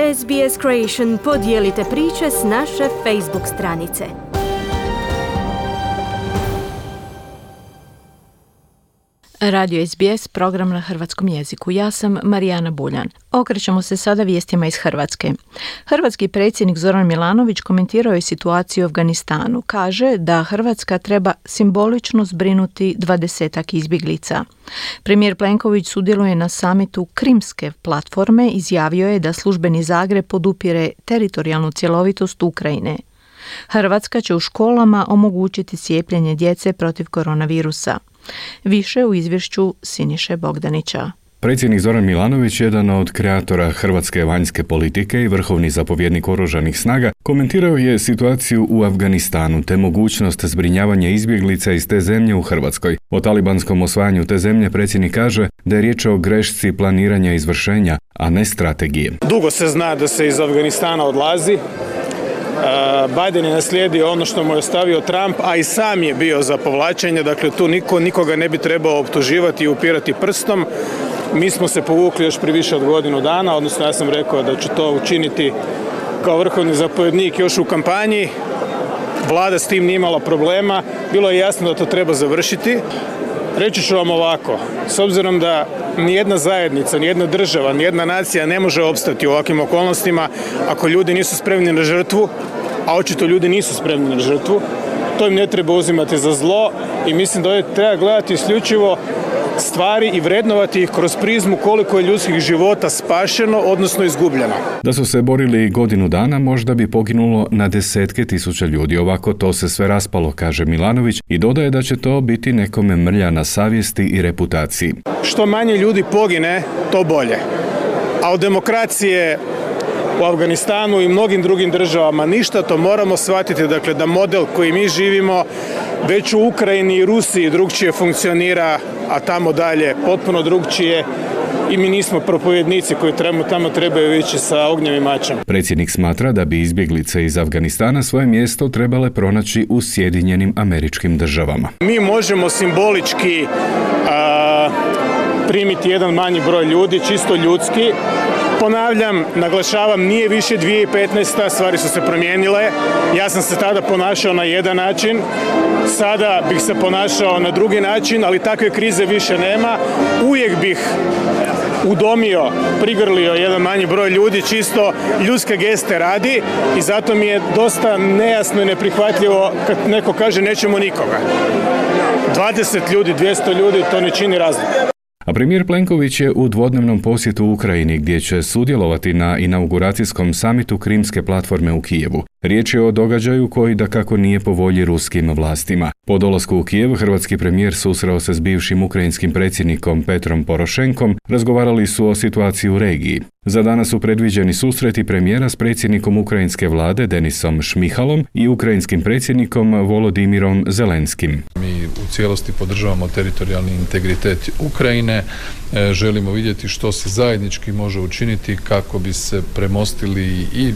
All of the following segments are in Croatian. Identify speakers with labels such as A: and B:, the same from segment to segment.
A: SBS Creation, podijelite priče s naše Facebook stranice.
B: Radio SBS, program na hrvatskom jeziku. Ja sam Marijana Buljan. Okrećemo se sada vijestima iz Hrvatske. Hrvatski predsjednik Zoran Milanović komentirao je situaciju u Afganistanu. Kaže da Hrvatska treba simbolično zbrinuti 20-ak izbjeglica. Premijer Plenković sudjeluje na samitu Krimske platforme, izjavio je da službeni Zagreb podupire teritorijalnu cjelovitost Ukrajine. Hrvatska će u školama omogućiti cijepljenje djece protiv koronavirusa. Više u izvješću Siniše Bogdanića.
C: Predsjednik Zoran Milanović, jedan od kreatora hrvatske vanjske politike i vrhovni zapovjednik oružanih snaga, komentirao je situaciju u Afganistanu te mogućnost zbrinjavanja izbjeglica iz te zemlje u Hrvatskoj. O talibanskom osvajanju te zemlje predsjednik kaže da je riječ o grešci planiranja izvršenja, a ne strategije.
D: Dugo se zna da se iz Afganistana odlazi. Biden je naslijedio ono što mu je ostavio Trump, a i sam je bio za povlačenje, dakle tu nikoga ne bi trebao optuživati i upirati prstom. Mi smo se povukli još prije više od godinu dana, odnosno ja sam rekao da ću to učiniti kao vrhovni zapovjednik još u kampanji. Vlada s tim nije imala problema, bilo je jasno da to treba završiti. Reći ću vam ovako, s obzirom da nijedna zajednica, nijedna država, nijedna nacija ne može opstati u ovakvim okolnostima ako ljudi nisu spremni na žrtvu, a očito ljudi nisu spremni na žrtvu, to im ne treba uzimati za zlo i mislim da ovdje treba gledati isključivo stvari i vrednovati ih kroz prizmu koliko je ljudskih života spašeno, odnosno izgubljeno.
C: Da su se borili godinu dana, možda bi poginulo na desetke tisuća ljudi. Ovako to se sve raspalo, kaže Milanović, i dodaje da će to biti nekome mrlja na savjesti i reputaciji.
D: Što manje ljudi pogine, to bolje. A od demokracije u Afganistanu i mnogim drugim državama ništa, to moramo shvatiti, dakle da model koji mi živimo već u Ukrajini i Rusiji drugčije funkcionira, a tamo dalje potpuno drugčije i mi nismo propovjednici koji tamo trebaju ići sa ognjem i mačem.
C: Predsjednik smatra da bi izbjeglice iz Afganistana svoje mjesto trebale pronaći u Sjedinjenim Američkim Državama.
D: Mi možemo simbolički primiti jedan manji broj ljudi, čisto ljudski. Ponavljam, naglašavam, nije više 2015. Stvari su se promijenile. Ja sam se tada ponašao na jedan način, sada bih se ponašao na drugi način, ali takve krize više nema. Uvijek bih udomio, prigrlio jedan manji broj ljudi, čisto ljudske geste radi i zato mi je dosta nejasno i neprihvatljivo kad neko kaže nećemo nikoga. 20 ljudi, 200 ljudi, to ne čini razliku.
C: A premijer Plenković je u dvodnevnom posjetu u Ukrajini gdje će sudjelovati na inauguracijskom samitu Krimske platforme u Kijevu. Riječ je o događaju koji dakako nije po volji ruskim vlastima. Po dolasku u Kijev, hrvatski premijer susreo se s bivšim ukrajinskim predsjednikom Petrom Porošenkom, razgovarali su o situaciji u regiji. Za danas su predviđeni susreti premijera s predsjednikom ukrajinske vlade Denisom Šmihalom i ukrajinskim predsjednikom Volodimirom Zelenskim.
E: Mi u cijelosti podržavamo teritorijalni integritet Ukrajine, želimo vidjeti što se zajednički može učiniti kako bi se premostili i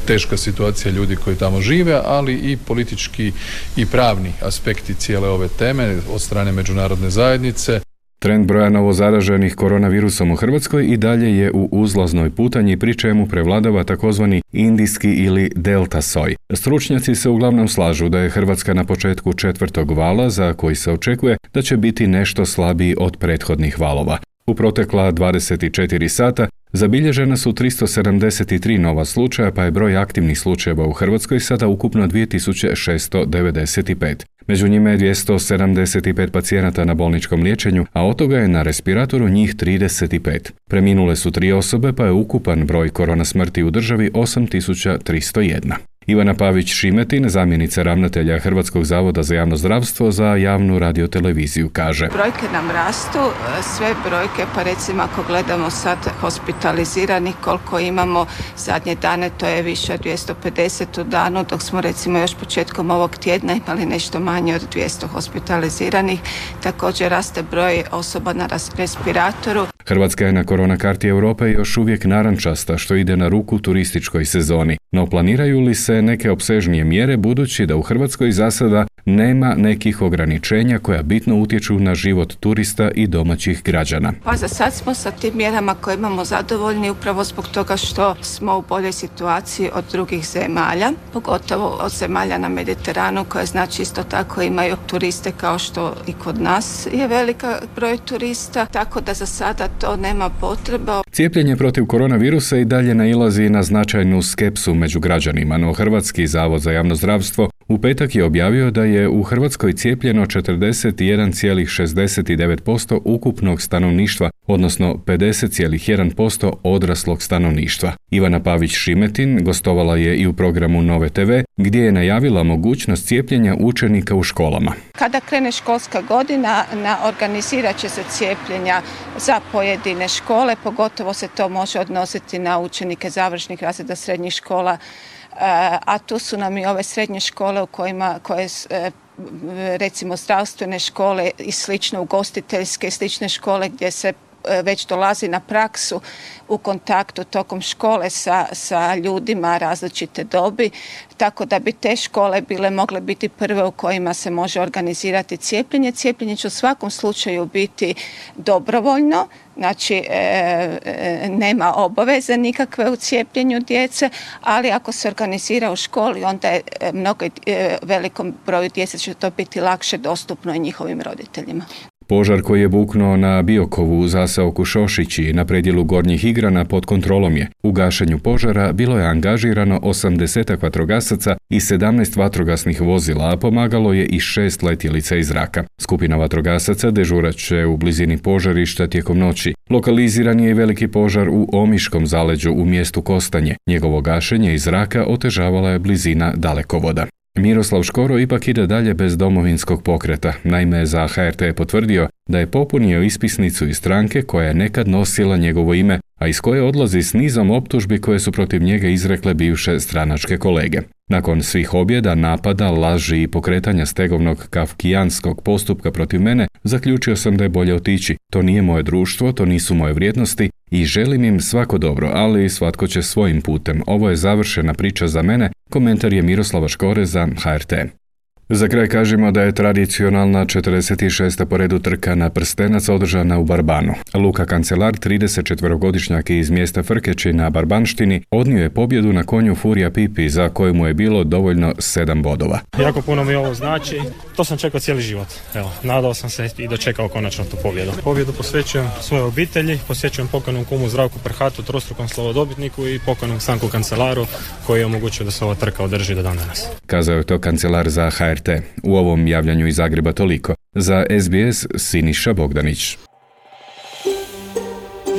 E: teška situacija ljudi koji tamo žive, ali i politički i pravni aspekti cijele ove teme od strane međunarodne zajednice.
C: Trend broja novozaraženih koronavirusom u Hrvatskoj i dalje je u uzlaznoj putanji, pri čemu prevladava takozvani indijski ili delta soj. Stručnjaci se uglavnom slažu da je Hrvatska na početku 4. vala, za koji se očekuje da će biti nešto slabiji od prethodnih valova. U protekla 24 sata zabilježena su 373 nova slučaja, pa je broj aktivnih slučajeva u Hrvatskoj sada ukupno 2695. Među njima je 275 pacijenata na bolničkom liječenju, a od toga je na respiratoru njih 35. Preminule su 3 osobe, pa je ukupan broj korona smrti u državi 8301. Ivana Pavić-Šimetin, zamjenica ravnatelja Hrvatskog zavoda za javno zdravstvo za javnu radioteleviziju, kaže:
F: Brojke nam rastu, sve brojke, pa recimo ako gledamo sad hospitaliziranih, koliko imamo zadnje dane, to je više od 250 u danu, dok smo recimo još početkom ovog tjedna imali nešto manje od 200 hospitaliziranih. Također raste broj osoba na respiratoru.
C: Hrvatska je na korona karti Europe još uvijek narančasta, što ide na ruku turističkoj sezoni. No planiraju li se neke opsežnije mjere budući da u Hrvatskoj za sada nema nekih ograničenja koja bitno utječu na život turista i domaćih građana?
F: Pa za sad smo sa tim mjerama koje imamo zadovoljni upravo zbog toga što smo u boljoj situaciji od drugih zemalja, pogotovo od zemalja na Mediteranu koje znači isto tako imaju turiste kao što i kod nas je velika broj turista, tako da za sada to nema potrebe.
C: Cijepljenje protiv koronavirusa i dalje nailazi na značajnu skepsu među građanima, no Hrvatski zavod za javno zdravstvo u petak je objavio da je u Hrvatskoj cijepljeno 41,69% ukupnog stanovništva, odnosno 50,1% odraslog stanovništva. Ivana Pavić-Šimetin gostovala je i u programu Nove TV, gdje je najavila mogućnost cijepljenja učenika u školama.
F: Kada krene školska godina, organizirat će se cijepljenja za pojedine škole, pogotovo se to može odnositi na učenike završnih razreda srednjih škola, a tu su nam i ove srednje škole koje recimo zdravstvene škole i slično, ugostiteljske i slične škole gdje se već dolazi na praksu u kontaktu tokom škole sa ljudima različite dobi, tako da bi te škole mogle biti prve u kojima se može organizirati cijepljenje. Cijepljenje će u svakom slučaju biti dobrovoljno, znači nema obaveze nikakve u cijepljenju djece, ali ako se organizira u školi, onda je velikom broju djece će to biti lakše dostupno i njihovim roditeljima.
C: Požar koji je buknuo na Biokovu u zaseoku Šošići na predjelu Gornjih Igrana pod kontrolom je. U gašenju požara bilo je angažirano 80 vatrogasaca i 17 vatrogasnih vozila, a pomagalo je i 6 letjelica iz zraka. Skupina vatrogasaca dežurat će u blizini požarišta tijekom noći. Lokaliziran je i veliki požar u Omiškom zaleđu u mjestu Kostanje. Njegovo gašenje iz zraka otežavala je blizina dalekovoda. Miroslav Škoro ipak ide dalje bez Domovinskog pokreta. Naime, za HRT je potvrdio da je popunio ispisnicu iz stranke koja je nekad nosila njegovo ime, a iz koje odlazi s nizom optužbi koje su protiv njega izrekle bivše stranačke kolege. Nakon svih objeda, napada, laži i pokretanja stegovnog kafkijanskog postupka protiv mene, zaključio sam da je bolje otići. To nije moje društvo, to nisu moje vrijednosti i želim im svako dobro, ali svatko će svojim putem. Ovo je završena priča za mene, komentar je Miroslava Škore za HRT. Za kraj kažemo da je tradicionalna 46. po redu trka na prstenac održana u Barbanu. Luka Kancelar, 34-godišnjak iz mjesta Frkeći na Barbanštini, odnio je pobjedu na konju Furija Pipi, za koju mu je bilo dovoljno 7 bodova.
G: Jako puno mi ovo znači, to sam čekao cijeli život. Evo, nadao sam se i dočekao konačno tu pobjedu. Pobjedu posvećujem svojoj obitelji, posvećujem pokojnom kumu Zdravku Prhatu, trostrukom slovodobitniku i pokojnom Stanku Kancelaru, koji je omogućio da se ova trka održi do dan danas.
C: Kazao je to kancelar za HRT. U ovom javljanju iz Zagreba toliko. Za SBS Siniša Bogdanić.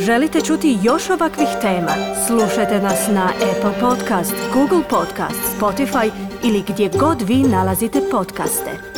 A: Želite čuti još ovakvih tema? Slušajte nas na Apple Podcast, Google Podcast, Spotify ili gdje god vi nalazite podcaste.